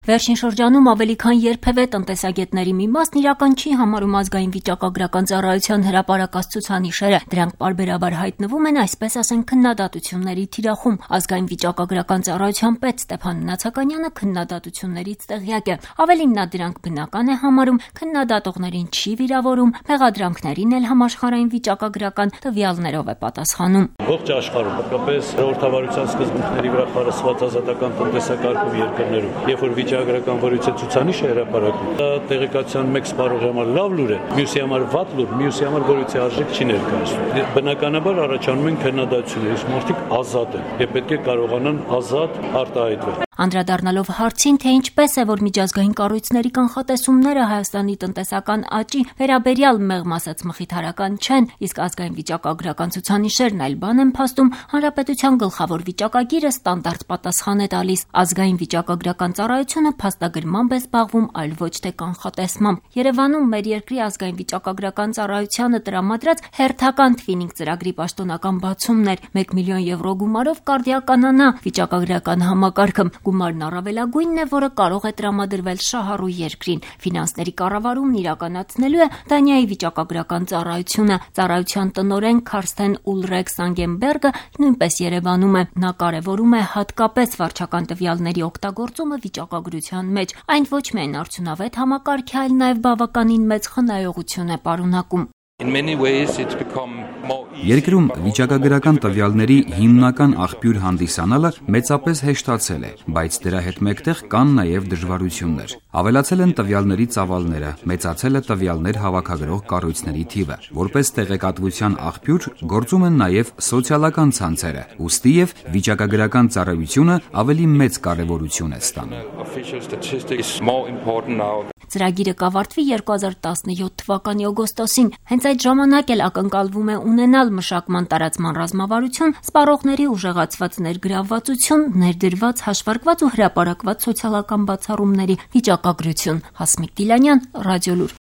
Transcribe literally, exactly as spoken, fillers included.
Վերջին շրջանում ավելի քան երբևէ տնտեսագետների մի մասն իրական չի համարում ազգային վիճակագրական ծառայության հրապարակած ցուցանիշերը։ Դրանք պարբերաբար հայտնվում են, այսպես ասենք, քննադատությունների թիրախում։ Ազգային վիճակագրական ծառայության պետ Ստեփան Նացականյանը քննադատություններից տեղյակ է։ Ավելին, նա դրանք բնական է համարում, քննադատողներին չի վիրավորում, մեղադրանքներին էլ համաշխարհային վիճակագրական տվյալներով է պատասխանում։ Ողջ աշխարհում, հատկապես ժողովրդավարության սկզբունքների վրա խարսված ազատական տնտեսակարգում երկրներում, երբ որ վիճակագրական որից է ցուցանիշը հրապարակում, դա տեղեկատվության մեկ սպառողի համար լավ լուր է, մյուսի համար վատ լուր, մյուսի համար որից է արժեք չի ներկայացնում։ Բնականաբար առաջանում են քննադատություններ, մարդիկ ազատ են եւ պետք է կարողանան ազատ արտահայտվել։ Անդրադառնալով հարցին, թե ինչպես է, որ միջազգային կառույցների կանխատեսումները Հայաստանի տնտեսական աճի վերաբերյալ մեղմ ասած մխիթարական չեն, իսկ ազգային վիճակագրական ցուցանիշերն այլ բան են փաստում, հանրապետության գլխավոր վիճակագիրը ստանդարտ պատասխան է տալիս։ Ազգային վիճակագրական ծառայությունը փաստագրմամբ է զբաղվում, այլ ոչ թե կանխատեսմամբ։ Երևանում մեր երկրի ազգային վիճակագրական ծառայությանը տրամադրած հերթական թվինինգ ծրագրի պաշտոնական բացումն էր։ մեկ միլիոն եվրո գումարով կարդիականանա վիճակագրական համակարգը։ Գումարն առավելագույնն է, որը կարող է տրամադրվել շահառու երկրին։ Ֆինանսների կառավարումն իրականացնելու է Դանիայի վիճակագրական ծառայությունը։ Ծառայության տնօրեն Քարստեն Ուլրեկ Սանգենբերգը նույնպես Երևանում է։ Նա կարևորում է հատկապես վարչական տվյալների օգտագործումը վիճակագրության մեջ։ Այն ոչ միայն արդյունավետ համակարգ է, այլ նաև բավականին մեծ խնայողություն է պարունակում։ Երկրում վիճակագրական տվյալների հիմնական աղբյուր հանդիսանալը մեծապես հեշտացել է, բայց դրա հետ մեկտեղ կան նաև դժվարություններ։ Ավելացել են տվյալների ծավալները, մեծացել է տվյալներ հավաքագրող կառույցների թիվը։ Որպես տեղեկատվության աղբյուր գործում են նաև սոցիալական ցանցերը, ուստի եւ վիճակագրական ծառայությունը ավելի մեծ կարեւորություն է ստանում։ Ծրագիրը կավարտվի երկու հազար տասնյոթ թվականի օգոստոսին։ Հենց այդ ժամանակ էլ ակնկալվում է ունենալ մշակման տարածման ռազմավարություն, սպառողների ուժեղացված ներգրավվածություն, ներդրված, հաշվարկված ու հրապարակված սոցիալական բացառումների վիճակագրություն։ Հասմիկ Դիլանյան, Ռադիոլուր։